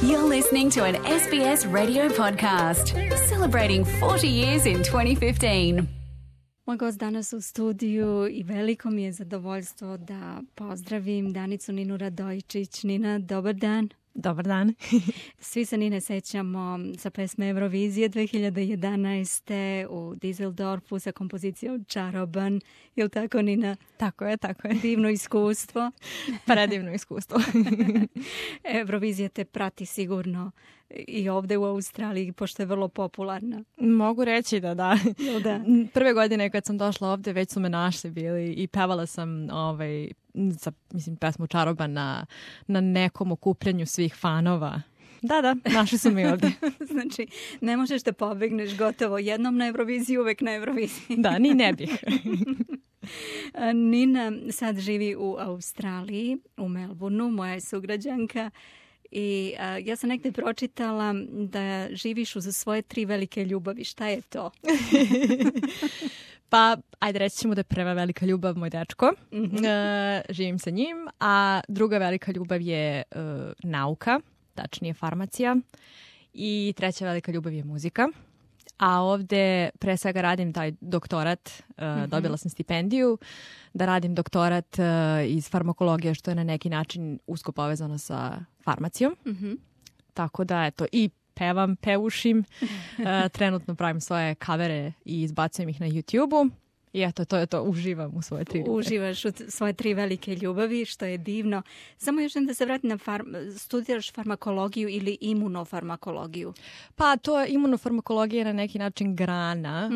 You're listening to an SBS radio podcast celebrating 40 years in 2015. Moj gost danas u studiju i veliko mi je zadovoljstvo da pozdravim Danicu Ninu Radojičić. Nina, dobar dan. Dobar dan. Svi se Nine sećamo sa pesme Eurovizije 2011. u Düsseldorfu sa kompozicijom Čaroban. Je li tako, Nina? Tako je. Divno iskustvo. Predivno iskustvo. Eurovizija te prati sigurno i ovde u Australiji, pošto je vrlo popularna. Mogu reći da. Da. Prve godine kad sam došla ovde, već su me našli bili i pevala sam pesmu Čaroban na nekom okupljanju svih fanova. Da, našli su mi ovde. Znači, ne možeš da pobegneš gotovo jednom na Euroviziji, uvek na Euroviziji. Da, ni ne bih. Nina sad živi u Australiji, u Melbourneu, moja je sugrađanka. I ja sam negde pročitala da živiš uz svoje 3 velike ljubavi. Šta je to? Pa, ajde reći ćemo da je prva velika ljubav moj dečko. Živim sa njim. A druga velika ljubav je nauka, tačnije farmacija. I treća velika ljubav je muzika. A ovde pre svega radim taj doktorat, dobila sam stipendiju da radim doktorat iz farmakologije, što je na neki način usko povezano sa farmacijom. Tako da, eto, i pevušim, trenutno pravim svoje kavere i izbacujem ih na YouTube-u. I eto, to je to, uživam u svoje 3 ljubavi. Uživaš u svoje 3 velike ljubavi, što je divno. Samo još da se vratim na studiraš farmakologiju ili imunofarmakologiju? Pa to imunofarmakologija je na neki način grana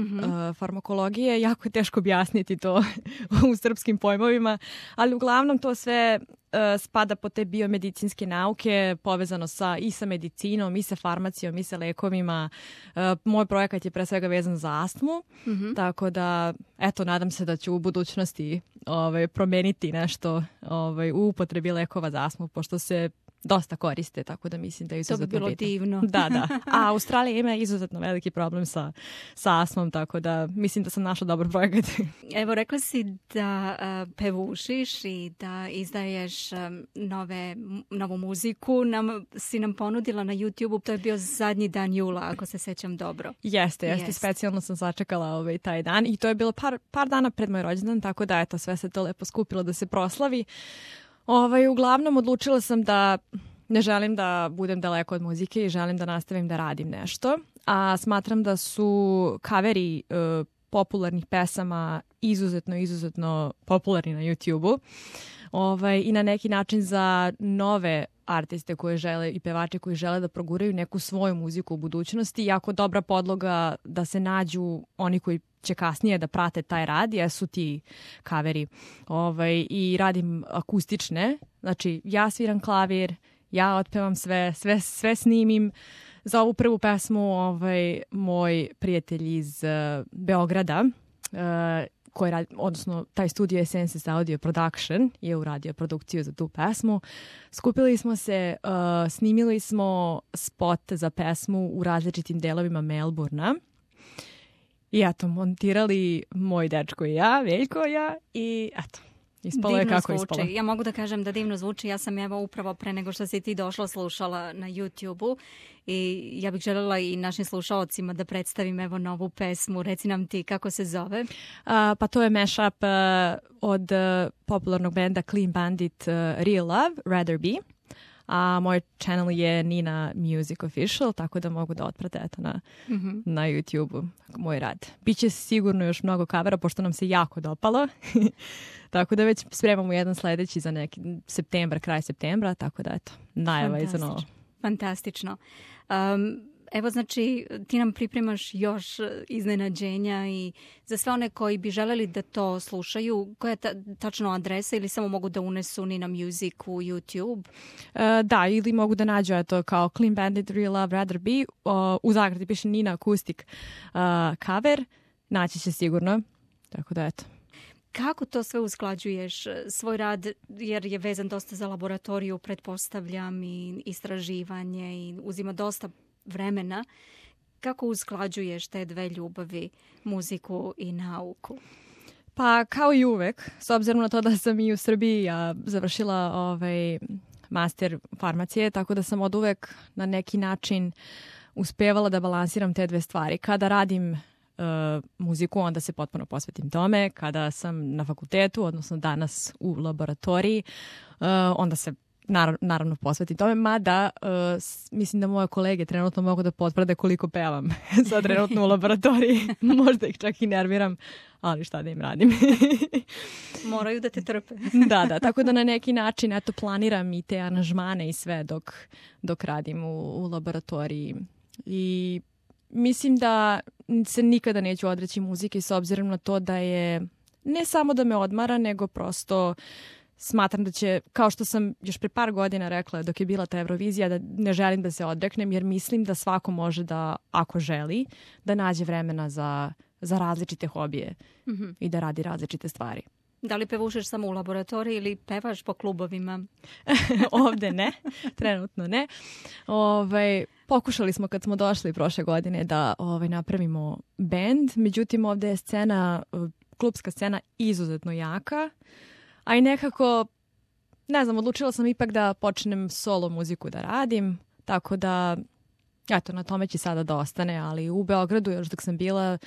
farmakologije. Jako je teško objasniti to u srpskim pojmovima, ali uglavnom to sve spada po te biomedicinske nauke, povezano i sa medicinom, i sa farmacijom, i sa lekovima. Moj projekat je pre svega vezan za astmu, tako da, eto, nadam se da ću u budućnosti promeniti nešto u upotrebi lekova za astmu, pošto se dosta koriste, tako da mislim da je izuzetno bitno. To bi bilo divno. Da. A Australija ima izuzetno veliki problem sa astmom, tako da mislim da sam našla dobar projekat. Evo, rekla si da pevušiš i da izdaješ novu muziku. Si nam ponudila na YouTube-u, to je bio zadnji dan jula, ako se sećam dobro. Jeste. Specijalno sam sačekala taj dan i to je bilo par dana pred moj rođendan, tako da eto, sve se to lepo skupilo da se proslavi. Uglavnom odlučila sam da ne želim da budem daleko od muzike i želim da nastavim da radim nešto. A smatram da su kaveri popularnih pesama izuzetno popularni na YouTube-u. I na neki način za nove artiste koje žele i pevače koji žele da proguraju neku svoju muziku u budućnosti. Jako dobra podloga da se nađu oni koji će kasnije da prate taj rad, jesu ti kaveri. I radim akustične. Znači, ja sviram klavir, ja otpevam sve snimim. Za ovu prvu pesmu moj prijatelj iz Beograda, koji radi, odnosno taj studio je Senses Audio Production, je uradio produkciju za tu pesmu. Skupili smo se, snimili smo spot za pesmu u različitim delovima Melbournea. I eto, montirali moj dečko i ja, Veljko i ja, i eto, ispalo je kako je ispalo. Ja mogu da kažem da divno zvuči. Ja sam upravo pre nego što si ti došla slušala na YouTube-u i ja bih željela i našim slušalcima da predstavim novu pesmu. Reci nam ti kako se zove. Pa to je mashup od popularnog benda Clean Bandit Real Love, Rather Be. A moj channel je Nina Music Official, tako da mogu da otprate na YouTube-u moj rad. Biće sigurno još mnogo kavera, pošto nam se jako dopalo. Tako da već spremamo jedan sledeći za neki kraj septembra, tako da eto, najava je za novo. Fantastično. Evo, znači, ti nam pripremaš još iznenađenja i za sve one koji bi želeli da to slušaju, koja je tačno adresa ili samo mogu da unesu Nina Music u YouTube? Da, ili mogu da nađu kao Clean Bandit Real Love Rather Be, u zagradi piše Nina Acoustic cover, naći će sigurno, tako da eto. Kako to sve usklađuješ, svoj rad, jer je vezan dosta za laboratoriju, pretpostavljam, i istraživanje i uzima dosta vremena. Kako usklađuješ te 2 ljubavi, muziku i nauku? Pa kao i uvek, s obzirom na to da sam i u Srbiji završila master farmacije, tako da sam od uvek na neki način uspevala da balansiram te dve stvari. Kada radim muziku, onda se potpuno posvetim tome. Kada sam na fakultetu, odnosno danas u laboratoriji, onda se naravno posvetim tome, mada mislim da moje kolege trenutno mogu da potvrde koliko pevam sad trenutno u laboratoriji. Možda ih čak i nerviram, ali šta da im radim. Moraju da te trpe. Da, tako da na neki način planiram i te aranžmane i sve dok radim u laboratoriji. I mislim da se nikada neću odreći muzike s obzirom na to da je ne samo da me odmara, nego prosto smatram da će, kao što sam još pre par godina rekla dok je bila ta Eurovizija, da ne želim da se odreknem jer mislim da svako može da, ako želi, da nađe vremena za različite hobije i da radi različite stvari. Da li pevušeš samo u laboratoriji ili pevaš po klubovima? Ovde ne, trenutno ne. Pokušali smo kad smo došli prošle godine da napravimo bend, međutim ovde je klubska scena izuzetno jaka, a i nekako, ne znam, odlučila sam ipak da počnem solo muziku da radim, tako da, na tome će sada da ostane, ali u Beogradu još dok sam bila,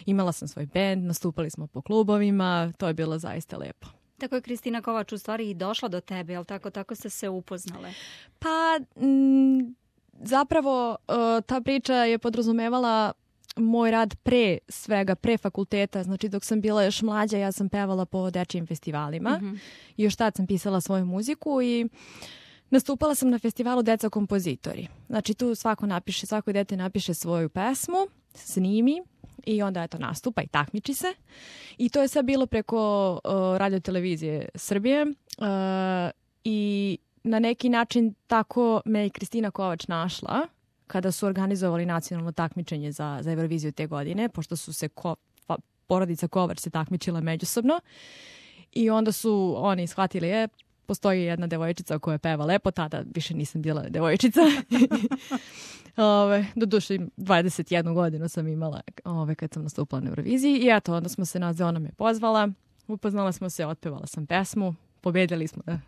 imala sam svoj bend, nastupali smo po klubovima, to je bilo zaista lepo. Tako je Kristina Kovač u stvari i došla do tebe, jel tako ste se upoznale? Pa, zapravo ta priča je podrazumevala moj rad pre fakulteta, znači dok sam bila još mlađa ja sam pevala po dečijim festivalima i još tad sam pisala svoju muziku i nastupala sam na festivalu Deca kompozitori. Znači tu svako dete napiše svoju pesmu, snimi i onda nastupa i takmiči se. I to je sve bilo preko Radio-televizije Srbije i na neki način tako me i Kristina Kovač našla kada su organizovali nacionalno takmičenje za Euroviziju te godine, pošto su se porodica Kovač se takmičila međusobno i onda su oni shvatili postoji jedna devojčica koja peva lepo, tada više nisam bila devojčica. Doduše 21 godinu sam imala kad sam nastupala na Euroviziji i onda smo se ona me pozvala, upoznala smo se, otpevala sam pesmu, pobedili smo na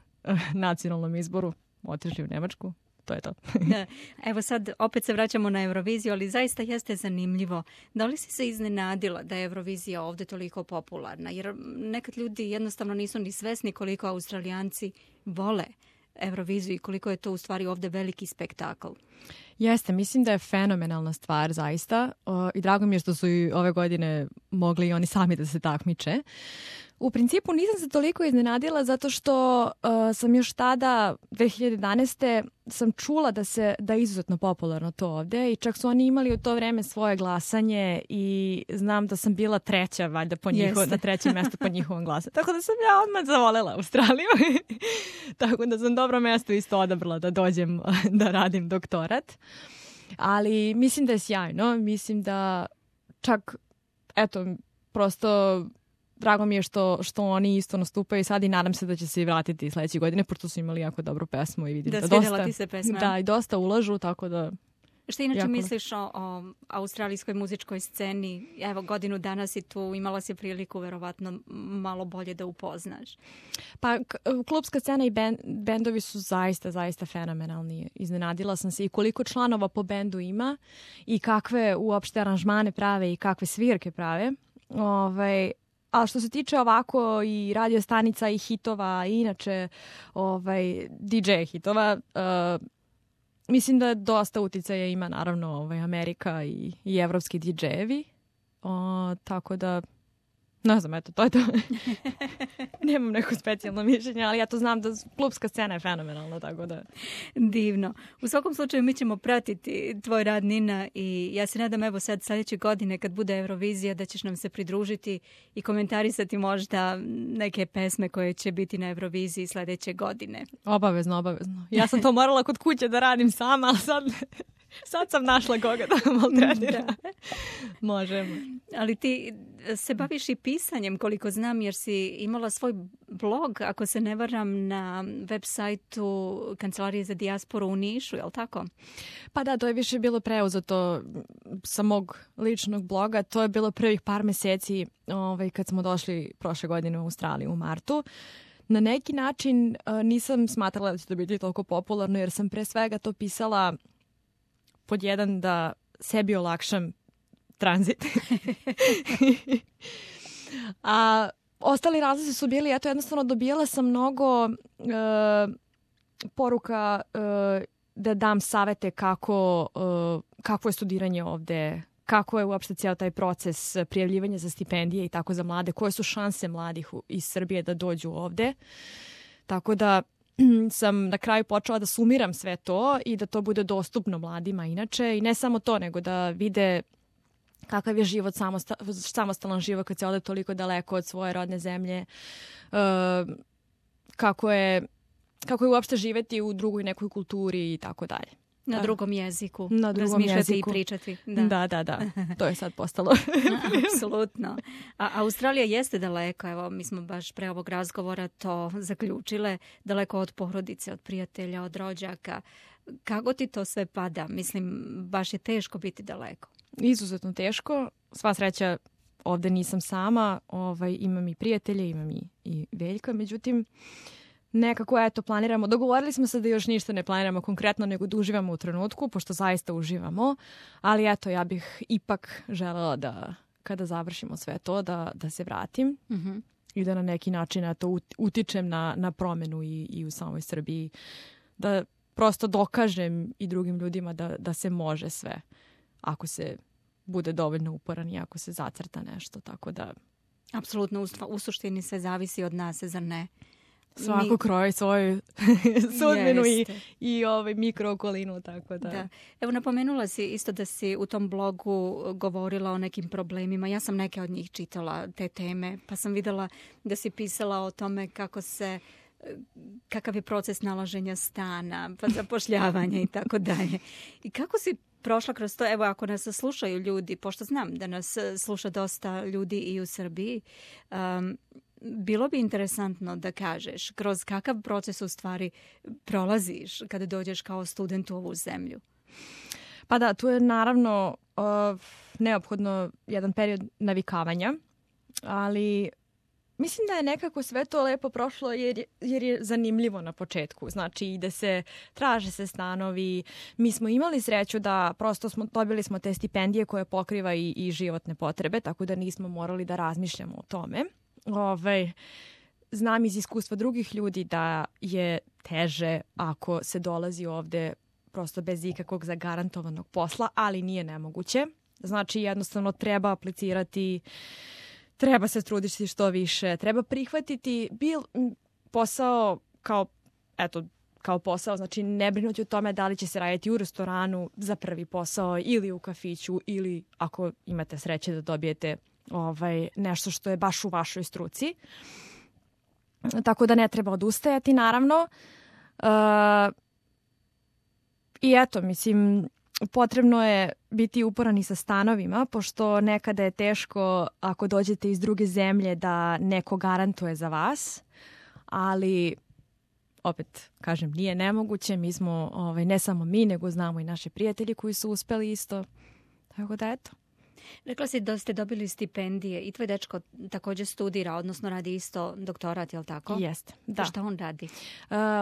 nacionalnom izboru, otišli u Nemačku. To je to. Evo sad opet se vraćamo na Euroviziju, ali zaista jeste zanimljivo. Da li si se iznenadila da je Eurovizija ovdje toliko popularna? Jer nekad ljudi jednostavno nisu ni svesni koliko Australijanci vole Euroviziju i koliko je to u stvari ovdje veliki spektakl. Jeste, mislim da je fenomenalna stvar zaista i drago mi je što su i ove godine mogli i oni sami da se takmiče. U principu nisam se toliko iznenadila zato što sam još tada, 2011. sam čula da je izuzetno popularno to ovdje i čak su oni imali u to vreme svoje glasanje i znam da sam bila treća valjda na trećem mjestu po njihovom glasu. Tako da sam ja odmah zavolela Australiju. Tako da sam dobro mjesto isto odabrala da dođem da radim doktorat. Ali mislim da je sjajno. Mislim da čak, prosto drago mi je što oni isto nastupaju sad i nadam se da će se i vratiti sljedeće godine, pošto su imali jako dobru pesmu i vidim da svidjela ti se pesma. Da, i dosta ulažu, tako da... Što inače misliš o australijskoj muzičkoj sceni? Evo, godinu dana si tu, imala si priliku verovatno malo bolje da upoznaš. Pa, klubska scena i bendovi su zaista fenomenalni. Iznenadila sam se i koliko članova po bendu ima i kakve uopšte aranžmane prave i kakve svirke prave. A što se tiče ovako i radio stanica i hitova i inače DJ hitova, mislim da dosta uticaja ima naravno Amerika i evropski DJ-evi. Tako da, ne znam, to je to. Nemam neko specijalno mišljenje, ali ja to znam da klubska scena je fenomenalna, tako da... Divno. U svakom slučaju mi ćemo pratiti tvoj rad, Nina, i ja se nadam evo sad sljedeće godine kad bude Eurovizija da ćeš nam se pridružiti i komentarisati možda neke pesme koje će biti na Euroviziji sljedeće godine. Obavezno. Ja sam to morala kod kuće da radim sama, ali sad sam našla koga da maltretira. Možemo. Ali ti se baviš i pisanjem, koliko znam, jer si imala svoj blog, ako se ne varam, na web sajtu Kancelarije za dijasporu u Nišu, je li tako? Pa da, to je više bilo preuzeto sa mog ličnog bloga. To je bilo prvih par meseci kad smo došli prošle godine u Australiju u martu. na neki način nisam smatrala da će to biti toliko popularno, jer sam pre svega to pisala pod jedan da sebi olakšam tranzit. A ostali razlozi su bili, eto, jednostavno dobijala sam mnogo poruka da dam savete kako je studiranje ovde, kako je uopšte cijel taj proces prijavljivanja za stipendije i tako za mlade, koje su šanse mladih iz Srbije da dođu ovde. Tako da sam na kraju počela da sumiram sve to i da to bude dostupno mladima inače. I ne samo to, nego da vide kakav je život, samostalan život kad se ode toliko daleko od svoje rodne zemlje, kako je uopšte živeti u drugoj nekoj kulturi i tako dalje. Na drugom jeziku. Na drugom razmišljati jeziku. I pričati. Da. To je sad postalo. Apsolutno. A Australija jeste daleko. Evo, mi smo baš pre ovog razgovora to zaključile. Daleko od porodice, od prijatelja, od rođaka. Kako ti to sve pada? Mislim, baš je teško biti daleko. Izuzetno teško. Sva sreća, ovde nisam sama. Imam i prijatelje, imam i Veljka. Međutim, nekako, eto, planiramo. Dogovorili smo se da još ništa ne planiramo konkretno, nego da uživamo u trenutku, pošto zaista uživamo. Ali eto, ja bih ipak želela da, kada završimo sve to, da se vratim i da na neki način eto, utičem na promenu i u samoj Srbiji. Da prosto dokažem i drugim ljudima da se može sve, ako se bude dovoljno uporan i ako se zacrta nešto. Tako da... Apsolutno, u suštini sve zavisi od nas, zar ne? Svako kroji svoju sudbinu i mikrookolinu, tako da. Evo, napomenula si isto da si u tom blogu govorila o nekim problemima. Ja sam neke od njih čitala, te teme, pa sam videla da si pisala o tome kakav je proces nalaženja stana, pa zapošljavanja i tako dalje. I kako si prošla kroz to? Evo, ako nas slušaju ljudi, pošto znam da nas sluša dosta ljudi i u Srbiji, bilo bi interesantno da kažeš kroz kakav proces u stvari prolaziš kada dođeš kao student u ovu zemlju. Pa da, tu je naravno neophodno jedan period navikavanja, ali mislim da je nekako sve to lepo prošlo jer je zanimljivo na početku. Znači, traže se stanovi. Mi smo imali sreću da prosto dobili smo te stipendije koje pokriva i životne potrebe, tako da nismo morali da razmišljamo o tome. Znam iz iskustva drugih ljudi da je teže ako se dolazi ovde prosto bez ikakvog zagarantovanog posla, ali nije nemoguće. Znači, jednostavno treba aplicirati, treba se truditi što više, treba prihvatiti posao kao posao, znači ne brinuti o tome da li će se raditi u restoranu za prvi posao ili u kafiću ili ako imate sreće da dobijete nešto što je baš u vašoj struci. Tako da ne treba odustajati, naravno. I eto, mislim, potrebno je biti uporan i sa stanovima, pošto nekada je teško ako dođete iz druge zemlje da neko garantuje za vas, ali opet, kažem, nije nemoguće. Mi smo, ne samo mi, nego znamo i naši prijatelji koji su uspeli isto. Tako da, eto. Rekla si da ste dobili stipendije i tvoj dečko također studira, odnosno radi isto doktorat, je li tako? Jeste, da. Šta on radi?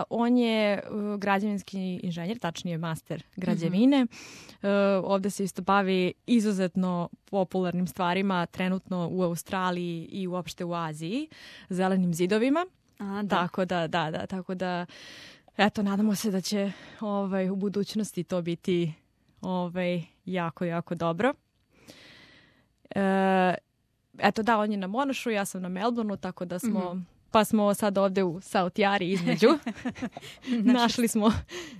On je građevinski inženjer, tačnije master građevine. Ovde se isto bavi izuzetno popularnim stvarima, trenutno u Australiji i uopšte u Aziji, zelenim zidovima. Tako da, tako da, eto, nadamo se da će u budućnosti to biti jako, jako dobro. Eto da, on je na Monašu, ja sam na Melbourneu, tako da smo sad ovde u South Yarri između.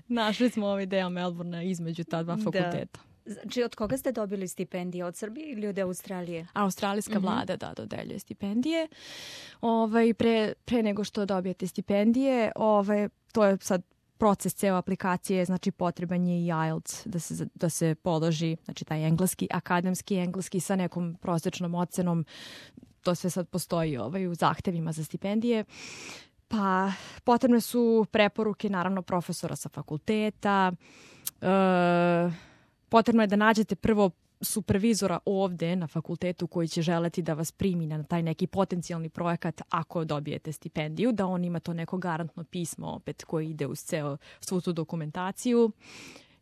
Našli smo ovaj deo Melbournea između ta dva fakulteta. Znači, od koga ste dobili stipendije? Od Srbije ili od Australije? Australijska vlada, dodeljuje stipendije. Pre nego što dobijete stipendije, to je sad proces ceo aplikacije, znači potreban je i IELTS da se položi, znači taj akademski engleski sa nekom prosječnom ocenom. To sve sad postoji u zahtevima za stipendije. Pa potrebne su preporuke, naravno, profesora sa fakulteta, potrebno je da nađete prvo supervizora ovde na fakultetu koji će želeti da vas primi na taj neki potencijalni projekat ako dobijete stipendiju, da on ima to neko garantno pismo opet koji ide uz svu tu dokumentaciju.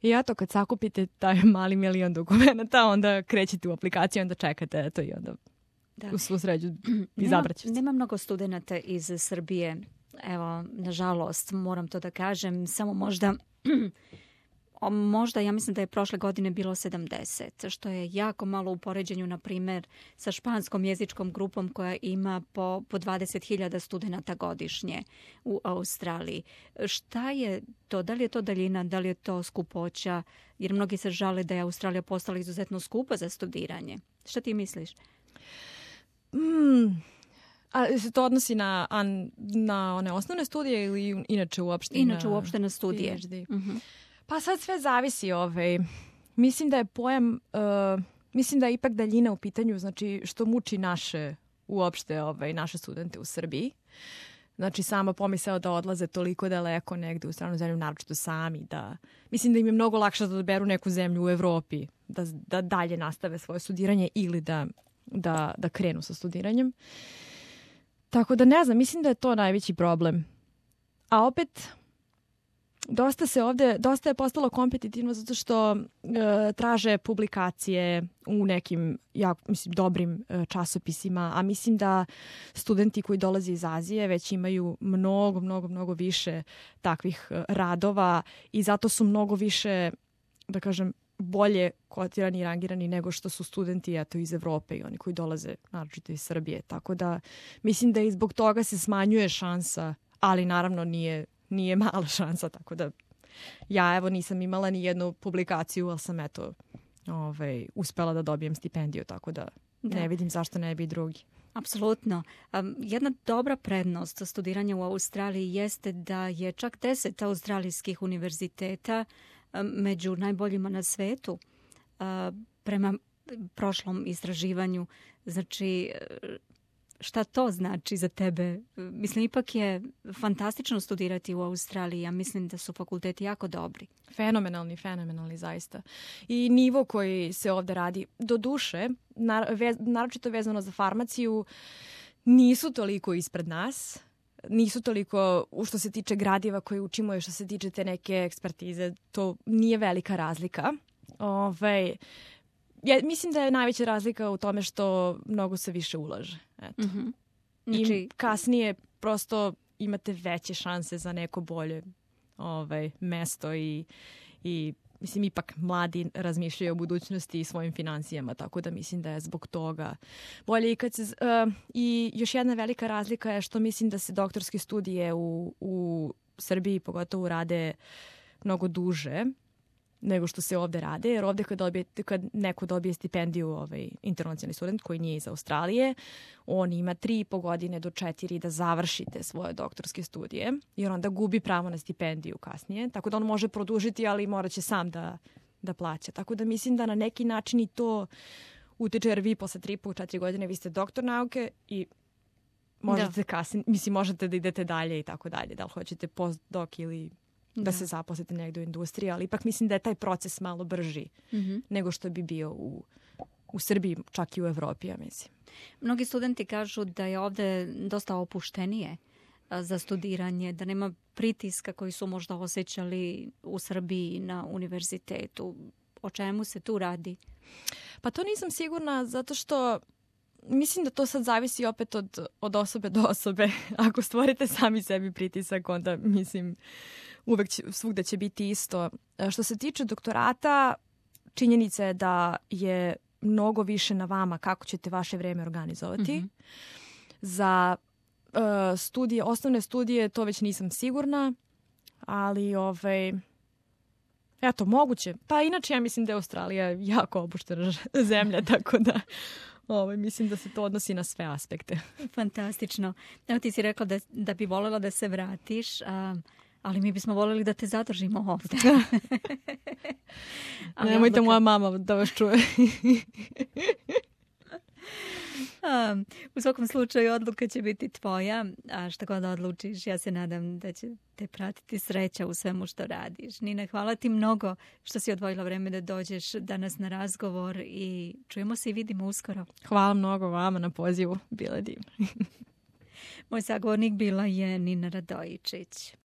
I eto, kad sakupite taj mali milion dokumenta, onda krećete u aplikaciju, onda čekate, eto, i onda u svu sređu izabrat ćete. Nema mnogo studenata iz Srbije. Evo, nažalost, moram to da kažem, samo možda, ja mislim da je prošle godine bilo 70, što je jako malo u poređenju, na primjer, sa španskom jezičkom grupom koja ima po 20.000 studenata godišnje u Australiji. Šta je to? Da li je to daljina? Da li je to skupoća? Jer mnogi se žale da je Australija postala izuzetno skupa za studiranje. Šta ti misliš? A se to odnosi na one osnovne studije ili inače uopšte? Inače uopšte na studije. Pa sad sve zavisi. Mislim da je pojam, mislim da je ipak daljina u pitanju, znači što muči naše studente u Srbiji. Znači sama pomisao da odlaze toliko daleko negde u stranu zemlju, naročito sami. Mislim da im je mnogo lakše da doberu neku zemlju u Evropi, da dalje nastave svoje studiranje ili da krenu sa studiranjem. Tako da ne znam, mislim da je to najveći problem. A opet, dosta je postalo kompetitivno zato što traže publikacije u nekim dobrim časopisima, a mislim da studenti koji dolaze iz Azije već imaju mnogo više takvih radova i zato su mnogo više, da kažem, bolje kotirani i rangirani nego što su studenti iz Evrope i oni koji dolaze naročito iz Srbije. Tako da mislim da i zbog toga se smanjuje šansa, ali naravno nije mala šansa, tako da ja nisam imala ni jednu publikaciju, ali sam uspela da dobijem stipendiju, tako da ne vidim zašto ne bi drugi. Apsolutno. Jedna dobra prednost studiranja u Australiji jeste da je čak 10 australijskih univerziteta među najboljima na svetu prema prošlom istraživanju. Znači, šta to znači za tebe? Mislim, ipak je fantastično studirati u Australiji. Ja mislim da su fakulteti jako dobri. Fenomenalni zaista. I nivo koji se ovde radi, do duše, naročito vezano za farmaciju, nisu toliko ispred nas. Nisu toliko što se tiče gradiva koje učimo i što se tiče te neke ekspertize. To nije velika razlika. Mislim da je najveća razlika u tome što mnogo se više ulaže. Eto. Znači, i kasnije prosto imate veće šanse za neko bolje mesto i mislim, ipak mladi razmišljaju o budućnosti i svojim financijama, tako da mislim da je zbog toga bolje. I još jedna velika razlika je što mislim da se doktorske studije u Srbiji pogotovo rade mnogo duže nego što se ovde rade, jer ovde kad neko dobije stipendiju, internacionalni student koji nije iz Australije, on ima 3,5 godine do 4 da završi te svoje doktorske studije, jer onda gubi pravo na stipendiju kasnije, tako da on može produžiti, ali morat će sam da plaća. Tako da mislim da na neki način i to utiče, jer vi posle 3,5-4 godine vi ste doktor nauke i možete kasnije, možete da idete dalje i tako dalje, da li hoćete postdoc ili da se zaposlite negdje u industriji, ali ipak mislim da je taj proces malo brži nego što bi bio u Srbiji, čak i u Evropi, ja mislim. Mnogi studenti kažu da je ovde dosta opuštenije za studiranje, da nema pritiska koji su možda osjećali u Srbiji na univerzitetu. O čemu se tu radi? Pa to nisam sigurna, zato što mislim da to sad zavisi opet od osobe do osobe. Ako stvorite sami sebi pritisak, onda mislim uvek svugde će biti isto. Što se tiče doktorata, činjenica je da je mnogo više na vama kako ćete vaše vreme organizovati. Za studije, osnovne studije, to već nisam sigurna, ali eto, moguće. Pa inače ja mislim da je Australija jako opuštena zemlja, tako da mislim da se to odnosi na sve aspekte. Fantastično. Evo ti si rekla da bi voljela da se vratiš, ali mi bismo voljeli da te zadržimo ovdje. Nemojte moja mama da vas čuje. U svakom slučaju odluka će biti tvoja, a šta god odlučiš, ja se nadam da će te pratiti sreća u svemu što radiš. Nina, hvala ti mnogo što si odvojila vreme da dođeš danas na razgovor i čujemo se i vidimo uskoro. Hvala mnogo vama na pozivu, bilo je divno. Moj sagovornik bila je Nina Radojičić.